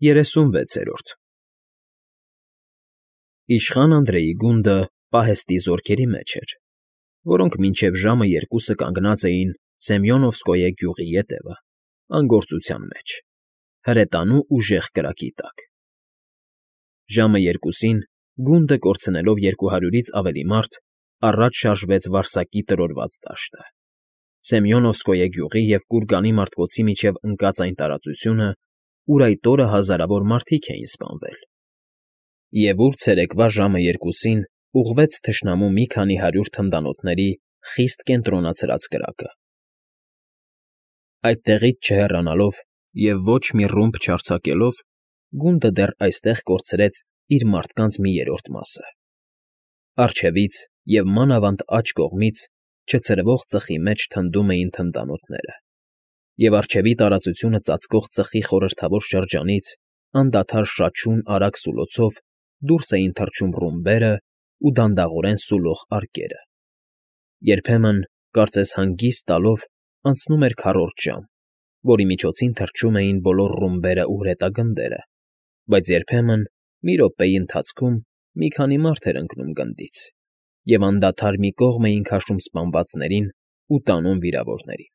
36-րդ Իշխան Անդրեի գունդը պահեստի զորքերի մեջ էր, որոնք մինչև ժամը 2-ը կանգնած էին Սեմյոնովսկոյե գյուղի ետևը, անգործության մեջ, հրետանու ուժեղ կրակի տակ։ Ժամը 2-ին, գունդը կորցնելով 200-ից ավելի մարդ, առաջ շարժվեց Վարսակի տրորված դաշտը, Սեմյոնովսկոյե գյուղի և Կուրգանի մարտկոցի միջև ընկած այն տարածությունը, ուր այդ օրը հազարավոր մարդիկ էին սպանվել, և ուր ցերեկվա ժամը 2-ին ուղղվեց թշնամու մի քանի հարյուր թնդանոթների խիստ կենտրոնացրած կրակը։ Այդտեղից չհեռանալով և ոչ մի ռումբ չարձակելով, գունդը դեռ այստեղ կորցրեց իր մարդկանց մի երրորդ մասը։ Առջևից և մանավանդ աջ կողմից չցրվող ծխի մեջ թնդում էին թնդանոթները, և առջևի տարածությունը ծածկող ծխի խորհրդավոր շրջանից անդադար շաչյուն արագ սուլոցով դուրս էին թռչում ռումբերը ու դանդաղորեն սուլողարկերը։ Երբեմն, կարծես հանգիստ տալով, անցնում էր քառորդ ժամ, որի միջոցին թռչում էին բոլոր ռումբերն ու հրետագնդերը, բայց երբեմն, մի րոպեի ընթացքում, մի քանի մարդ էր ընկնում գնդից, և անդադար մի կողմ էին քաշում սպանվածներին ու տանում վիրավորներին։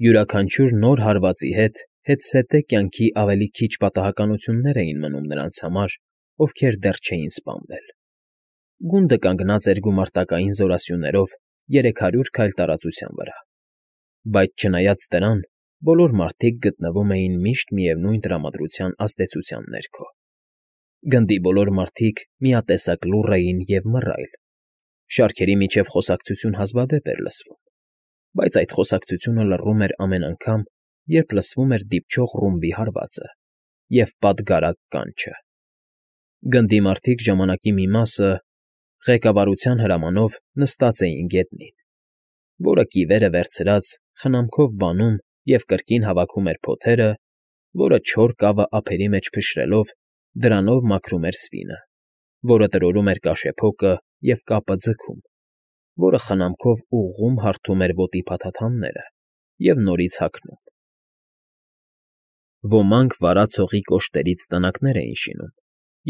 Յուրաքանչյուր նոր հարվածի հետ հետզհետե կյանքի ավելի քիչ պատահականություններ էին մնում նրանց համար, ովքեր դեռ չէին սպանվել։ Գունդը կանգնած էր գումարտակային զորասյուներով 300 քայլ տարածության վրա, բայց չնայած դրան, բոլոր մարդիկ գտնվում էին միշտ միևնույն տրամադրության ազդեցության ներքո։ Գնդի բոլոր մարդիկ միատեսակ լուռ էին և մռայլ, շարքերի միջև խոսակցություն հազվադեպ էր լսվում, բայց այդ խոսակցությունը լռում էր ամեն անգամ, երբ լսվում էր դիպչող ռումբի հարվածը և պատգարակ կանչը։ Գնդի մարդիկ ժամանակի մի մասը, ղեկավարության հրամանով, նստած էին գետնին, որը կիվերը վերցրած խնամքով բանում և կրկին հավաքում էր փոթերը, որը չոր կավը ափերի մեջ փշրելով դրանով մաքրում էր սվինը, որը տրորում էր կաշեփոկը և կապը ձգում, որը խնամքով ուղղում հարթում էր ոտի փաթաթանները և նորից հագնում։ Ոմանք վարած հողի կոշտերից տնակներ էին շինում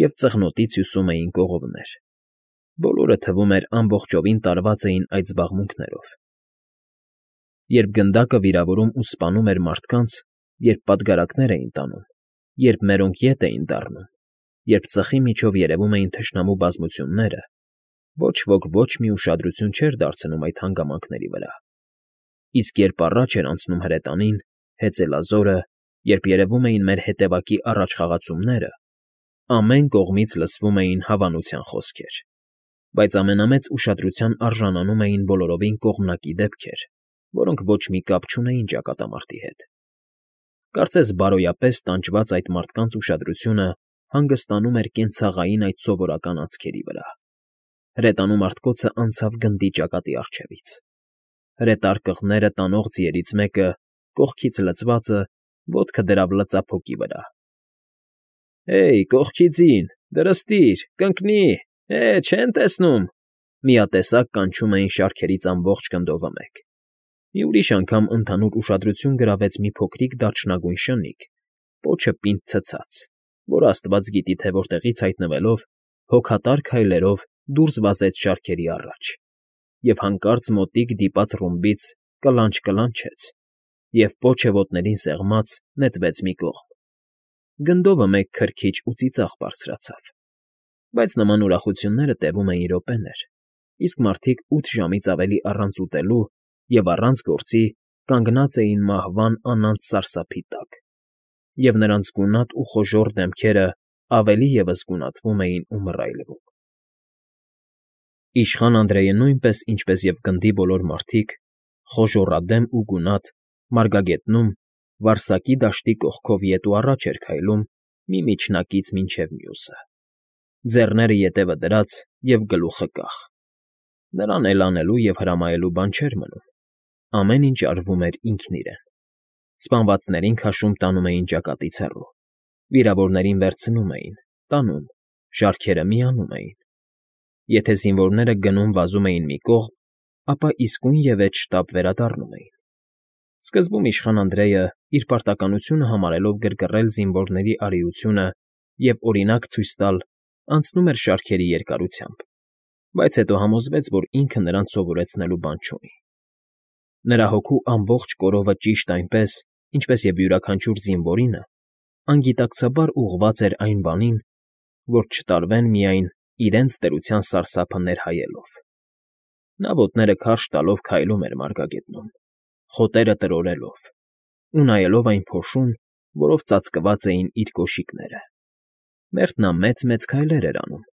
և ծղնոտից հյուսում էին կողովներ։ Բոլորը, թվում էր, ամբողջովին տարված էին այդ զբաղմունքներով։ Երբ գնդակը վիրավորում ու սպանում էր մարդկանց, երբ պատգարակներ էին տանում, երբ մերոնք ետ էին դառնում, երբ ծխի միջով երևում էին թշնամու բազմությունները, ոչ ոք ոչ մի ուշադրություն չէր դարձնում այդ հանգամանքների վրա։ Իսկ երբ առաջ էր անցնում հրետանին, հեծելազորը, երբ երևում էին մեր հետևակի առաջխաղացումները, ամեն կողմից լսվում էին հավանության խոսքեր, բայց ամենամեծ ուշադրության արժանանում էին բոլորովին կողմնակի դեպքեր, որոնք ոչ մի կապ չունեին ճակատամարտի հետ։ Կարծես բարոյապես տանջված այդ մարդկանց ուշադրությունը հանգստանում էր կենցաղային այդ սովորական անցքերի վրա։ Հրետանու մարտկոցը անցավ գնդի ճակատի առջևից։ Հրետարկղները տանող ձիերից մեկը, կողքից լցվածը, ոտքը դրավ լծափոկի վրա։ «Հեյ, կողքի ձին, դրստիր, կընկնի, չեն տեսնում», միատեսակ կանչում էին շարքերից ամբողջ գնդովը մեկ։ Մի ուրիշ անգամ ընդհանուր ուշադրություն գրավեց մի փոքրիկ դարչնագույն շնիկ, պոչը պինդ ցցած, որ աստված գիտի թե որտեղից հայտնվելով, հոգատար քայլերով դուրս վազեց շարքերի առաջ և հանկարծ մոտիկ դիպած ռումբից կլանչ֊կլանչեց և պոչը ոտներին սեղմած նետվեց մի կողմ։ Գնդովը մեկ քրքիջ ու ծիծաղ բարձրացավ։ Բայց նման ուրախությունները տևում էին րոպեներ, իսկ մարդիկ 8 ժամից ավելի առանց ուտելու և առանց գործի կանգնած էին մահվան անանց սարսափի տակ, և նրանց գունատ ու խոժոռ դեմքերը ավելի ևս գունատվում էին ու մռայլվում։ Իշխան Անդրեյը նույնպես, ինչպես և գնդի բոլոր մարդիկ, խոժոռադեմ ու գունատ, մարգագետնում, Վարսակի դաշտի կողքով ետ ու առաջ էր քայլում մի միջնակից մինչև մյուսը, ձեռները ետևը դրած և գլուխը կախ։ Նրան էլ անելու և հրամայելու բան չէր մնում, ամեն ինչ արվում էր ինքն իրեն։ Սպանվածներին քաշում տանում էին ճակատից հեռու, վիրավորներին վերցնում էին, տանում, շարքերը միանում էին։ Եթե զինվորները գնում֊վազում էին մի կողմ, ապա իսկույնևեթ շտապ վերադառնում էին։ Սկզբում իշխան Անդրեյը, իր պարտականությունը համարելով գրգռել զինվորների արիությունը և օրինակ ցույց տալ, անցնում էր շարքերի երկարությամբ, բայց հետո համոզվեց, որ ինքը նրանց սովորեցնելու բան չունի։ Նրա հոգու ամբողջ կորովը ճիշտ այնպես, ինչպես և յուրաքանչյուր զինվորինը, անգիտակցաբար ուղղված էր այն բանին, որ չտարվեն միայն իրենց տերության սարսափը ներհայելով։ Նա ոտները քարշ տալով քայլում էր մարգագետնում, խոտերը տրորելով, ու նայելով այն փոշուն, որով ծածկված էին իր կոշիկները։ Մերթ նա մեծ֊մեծ քայլեր էր անում,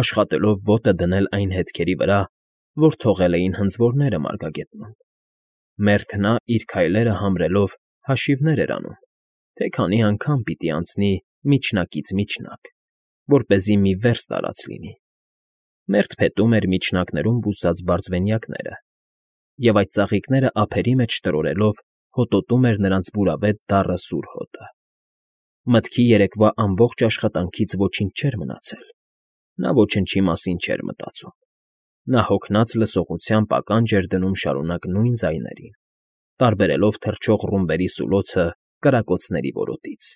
աշխատելով ոտը դնել այն հետքերի վրա, որ թողել էին հնձորները մարգագետնում։ Մերթ նա իր քայլերը համրելով հաշիվներ էր անում, թե քանի անգամ պիտի անցնի միջնակից միջնակ, որպեսզի մի վերս տարած լինի։ Մերթ փետում էր միջնակներում բուսած բարձվենյակները, և այդ ծաղիկները ափերի մեջ տրորելով հոտոտում էր նրանց բուրավետ դառը սուր հոտը։ Մտքի երեկվա ամբողջ աշխատանքից ոչինչ չէր մնացել, նա ոչնչի մասին չէր մտածում։ Նա հոգնած լսողությամբ ականջ էր դնում շարունակ նույն ձայներին, տարբերելով թռչող ռումբերի սուլոցը կրակոցների որոտից։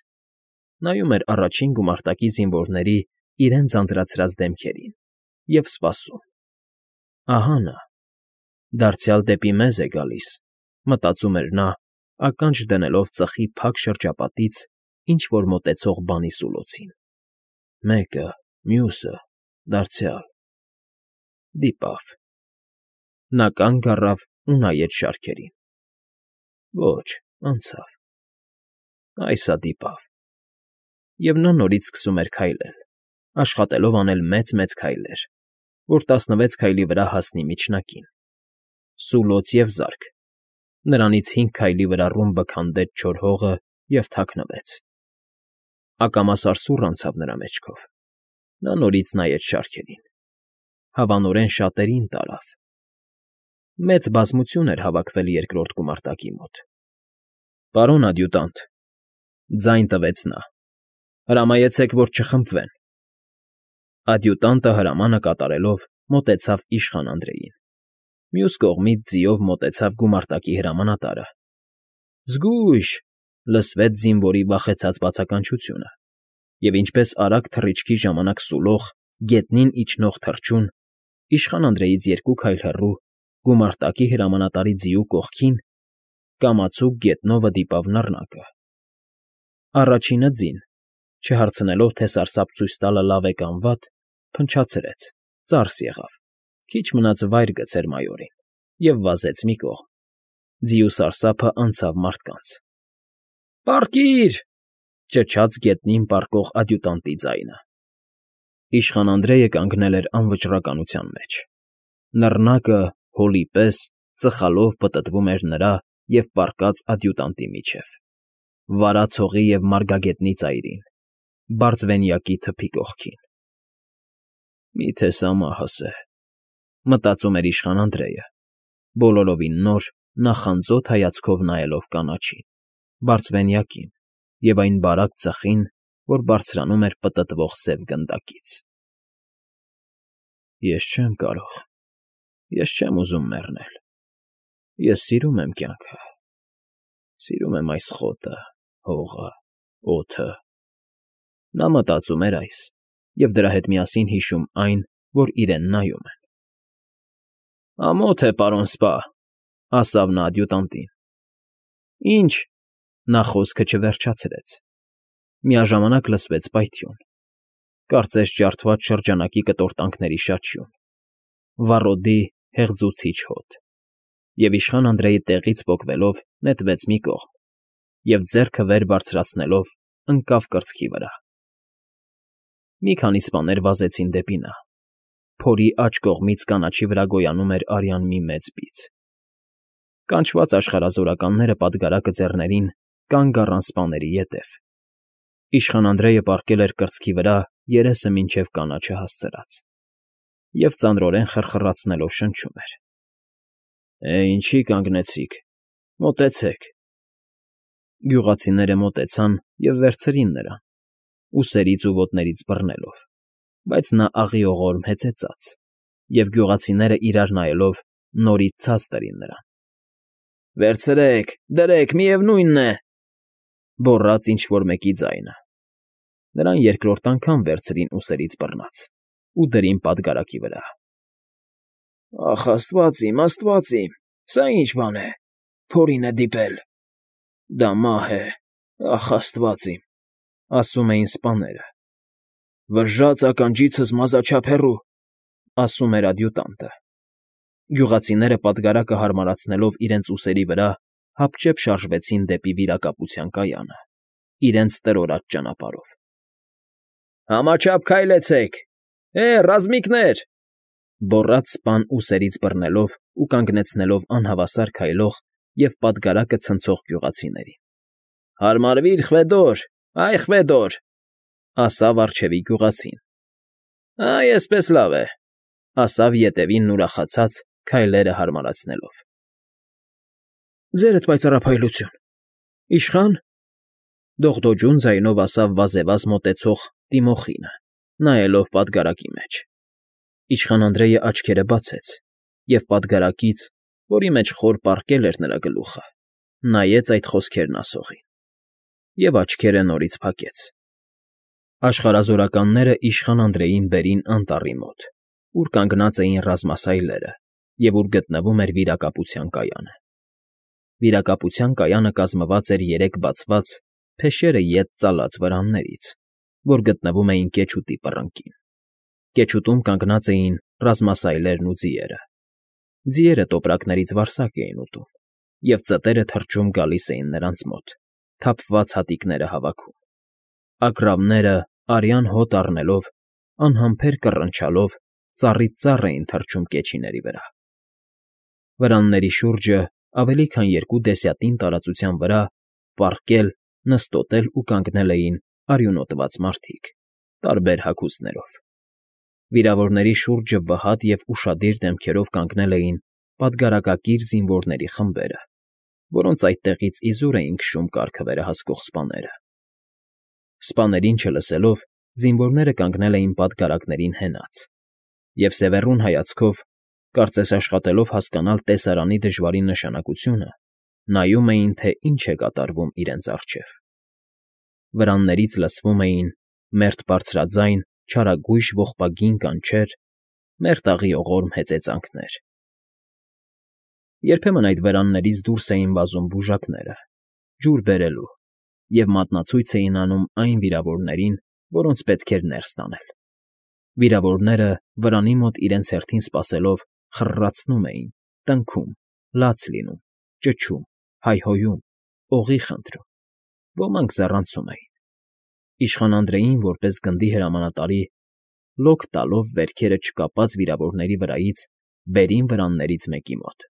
Նայում էր առաջին գումարտակի զինվորների իրենց ձանձրացրած դեմքերին և սպասում։ Ահա նա, դարձյալ դեպի մեզ է գալիս, մտածում էր նա, ականջ դնելով ծխի փակ շրջապատից ինչ֊որ մոտեցող բանի սուլոցին։ Մեկը, մյուսը, դարձյալ… Դիպավ։ Նա կանգ առավ ու նայեց շարքերին։ Ոչ, անցավ։ Այս հա դիպավ։ Եվ նա նորից սկսում էր քայլել, աշխատելով անել մեծ֊մեծ քայլեր, որ 16 քայլի վրա հասնի միջնակին։ Սուլոց և զարկ։ Նրանից 5 քայլի վրա ռումբը քանդեց չոր հողը և թաքնվեց։ Ակամա սարսուռ անցավ նրա մեջքով։ Նա նորից նայեց շարքերին։ Հավանորեն շատերին տարավ։ Մեծ բազմություն էր հավաքվել երկրորդ գումարտակի մոտ։ Պարոն ադյուտանտ,֊ ձայն տվեց նա,֊ հրամայեցեք, որ չխմբվեն։ Ադյուտանտը հրամանը կատարելով մոտեցավ իշխան Անդրեյին։ Մյուս կողմից ձիով մոտեցավ գումարտակի հրամանատարը։ Զգույշ…֊ լսվեց զինվորի վախեցած բացականչությունը, և ինչպես արագ թռիչքի ժամանակ սուլող, գետնին իջնող թռչուն, իշխան Անդրեյից 2 քայլ հեռու, գումարտակի հրամանատարի ձիու կողքին, կամացուկ գետնովը դիպավ նռնակը։ Առաջինը ձին, չհարցնելով, թե սարսափ ցույց տալը լավ է կամ վատ, փնչացրեց, ծարս եղավ, քիչ մնաց վայր գցեր մայորին և վազեց մի կողմ։ Ձիու սարսափը անցավ մարդկանց։ Պառկի՜ր…֊ ճչաց գետնին պառկող ադյուտանտի ձայնը։ Իշխան Անդրեյը կանգնել էր անվճռականության մեջ։ Նռնակը, հոլի պես, ծխալով պտտվում էր նրա և պառկած ադյուտանտի միջև, վարած հողի և մարգագետնի ծայրին, բարձվենյակի թփի կողքին։ Մի՞թե սա մահս է…֊ մտածում էր իշխան Անդրեյը, բոլորովին նոր, նախանձոտ հայացքով նայելով կանաչին, բարձվենյակին և այն բարակ ծխին, որ բարձրանում էր պտտվող սև գնդակից։ Ես չեմ կարող, ես չեմ ուզում մեռնել, ես սիրում եմ կյանքը, սիրում եմ այս խոտը, հողը, օդը… Նա մտածում էր այս և դրա հետ միասին հիշում այն, որ իրեն նայում են։ Ամոթ է, պարոն սպա…֊ ասավ նա ադյուտանտին։ Ինչ…֊ նա խոսքը չվերջացրեց։ Միաժամանակ լսվեց պայթյուն, կարծես ջարդված շրջանակի կտորտանքների շաչյուն, վառոդի հեղձուցիչ հոտ, և իշխան Անդրեյը տեղից պոկվելով նետվեց մի կողմ և, ձեռքը վեր բարձրացնելով, ընկավ կրծքի վրա։ Մի քանի սպաներ վազեցին դեպի նա։ Փորի աջ կողմից կանաչի վրա գոյանում էր արյան մի մեծ բիծ։ Կանչված աշխարհազորականները պատգարակը ձեռներին կանգ առան սպաների ետև։ Իշխան Անդրեյը պառկել էր կրծքի վրա երեսը մինչև կանաչը հասցրած և ծանրորեն խռխռացնելով շնչում էր. ինչի կանգնեցիք, մոտեցեք… Գյուղացիները մոտեցան և վերցրին նրան, ուսերից ու ոտներից բռնելով, բայց նա աղիողորմ հեծեծաց, և գյուղացիները իրար նայելով նորից ցած տրին նրան։ Վերցրեք, դրեք, միևնույնն է,֊ գոռաց ինչ֊որ մեկի ձայնը։ Նրան երկրորդ անգամ վերցրին ուսերից բռնած ու դրին պատգարակի վրա։ «Ախ, աստված իմ, սա ի՞նչ բան է, փորին է դիպել, դա մահ է, ախ, աստված իմ», ասում էին սպաները։ «Վժժաց ականջիցս մազաչափ հեռու», ասում էր ադյուտանտը։ Գյուղացիները պատգարակը հարմարացնելով իրենց ուսերի վրա, հապճեպ շարժվեցին դեպի վիրակապության կայանը, իրենց տրորած ճանապարհով։ «Համաչափ քայլեցեք, ռազմիկներ,֊ գոռաց սպան ուսերից բռնելով ու կանգնեցնելով անհավասար քայլող և պատգարակը ցնցող գյուղացիներին։ Հարմարվիր, Խվեդոր, այ Խվեդոր,֊ ասավ առջևի գյուղացին։ Այ էսպես լավ է,֊ ասավ ետևինն ուրախացած, քայլերը հարմարացնելով։ Ձերդ պայծառափայլություն, իշխա՞ն,֊ դողդոջուն ձայնով ասավ վազեվազ մոտեցող Տիմոխինը, նայելով պատգարակի մեջ։ Իշխան Անդրեյը աչքերը բացեց և պատգարակից, որի մեջ խոր պառկել էր նրա գլուխը, նայեց այդ խոսքերն ասողին և աչքերը նորից փակեց։ Աշխարհազորականները իշխան Անդրեյին բերին անտառի մոտ, ուր կանգնած էին ռազմասայլերը և ուր գտնվում էր վիրակապության կայանը։ Վիրակապության կայանը կազմված էր 3 բացված, փեշերը ետ ծալած վրաններից, որ գտնվում էին կեչուտի պռնկին։ Կեչուտում կանգնած էին ռազմասայլերն ու ձիերը։ Ձիերը տոպրակներից վարսակ էին ուտում, և ծտերը թռչում գալիս էին նրանց մոտ, թափված հատիկները հավաքում։ Ագռավները, արյան հոտ առնելով, անհամբեր կռնչալով, ծառից ծառ էին թռչում կեչիների վրա։ Վրանների շուրջը, ավելի քան 2 դեսյատին տարածության վրա, պառկել, նստոտել ու կանգնել էին արյունոտված մարդիկ, տարբեր հագուստներով։ Վիրավորների շուրջը վհատ և ուշադիր դեմքերով կանգնել էին պատգարակակիր զինվորների խմբերը, որոնց այդտեղից իզուր էին քշում կառքը վերահսկող սպաները։ Սպաներին չլսելով, զինվորները կանգնել էին պատգարակներին հենած և սևեռուն հայացքով, կարծես աշխատելով հասկանալ տեսարանի դժվարին նշանակությունը, նայում էին, թե ինչ է կատարվում իրենց առջև։ Վրաններից լսվում էին մերթ բարձրաձայն, չարագույժ ողբագին կանչեր, մերթ աղիողորմ հեծեծանքներ։ Երբեմն այդ վրաններից դուրս էին վազում բուժակները, ջուր բերելու, և մատնացույց էին անում այն վիրավորներին, որոնց պետք էր ներս տանել։ Վիրավորները, վրանի մոտ իրենց հերթին սպասելով, խռռացնում էին, տնքում, լաց լինում, ճչում, հայհոյում, օղի խնդրում, ոմանք ձեռանցում էին։ Իշխան Անդրեյին, որպես գնդի հրամանատարի, լոկ տալով վերքերը չկապած վիրավորների վրայից, բերին վրաններից մեկի մոտ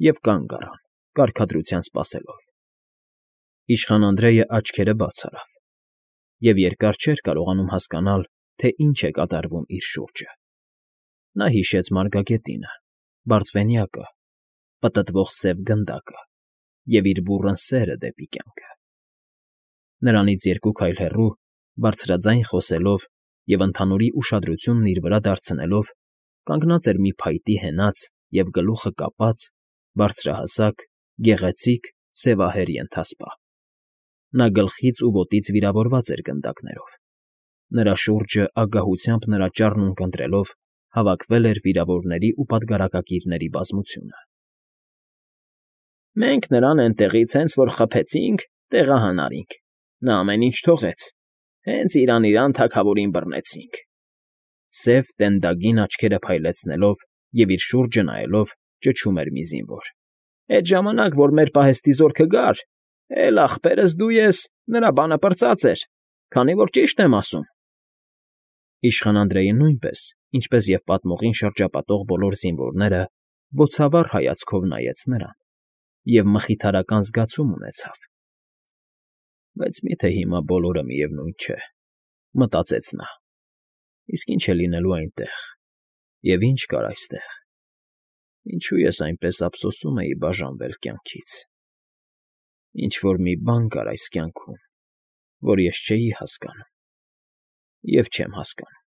և կանգ առան, կարգադրության սպասելով։ Իշխան Անդրեյը աչքերը բաց արավ և երկար չէր կարողանում հասկանալ, թե ինչ է կատարվում իր շուրջը։ Նա հիշեց մարգագետինը, բարձվենյակը, պտտվող սև գնդակը և իր բուռն սերը դեպի կյանքը։ Նրանից 2 քայլ հեռու, բարձրաձայն խոսելով և ընդհանուրի ուշադրությունն իր վրա դարձնելով, կանգնած էր մի փայտի հենած և գլուխը կապած, բարձրահասակ, գեղեցիկ, սևահեր ենթասպա։ Նա գլխից ու ոտքից վիրավորված էր գնդակներով։ Նրա շուրջը ագահությամբ նրա ճառն ունկնդրելով հավաքվել էր վիրավորների ու պատգարակակիրների բազմությունը։ Մենք նրան էնտեղից հենց որ խփեցինք, տեղահանարինք, նա ամեն ինչ թողեց, հենց իրան թագավորին բռնեցինք,֊ սև տենդագին աչքերը փայլեցնելով և իր շուրջը նայելով ճչում էր մի զինվոր։ Էդ ժամանակ, որ մեր պահեստի զորքը գար, էլ ախպերս դու ես, նրա բանը պրծած էր, քանի որ ճիշտ եմ ասում։ Իշխան Անդրեյը նույնպես, ինչպես և պատմողին շրջապատող բոլոր զինվորները, բոցավառ հայացքով նայեց նրան և մխիթարական զգացում ունեցավ։ Բայց մի՞թե հիմա բոլորը միևնույն չէ, մտածեց նա, իսկ ինչ է լինելու այնտեղ, և ինչ կար այստեղ, ինչու ես այնպես ափսոսում էի բաժանվել կյանքից։ Ինչ֊որ մի բան կար այս կյանքում, որ ես չէի հասկանում և չեմ հասկանում։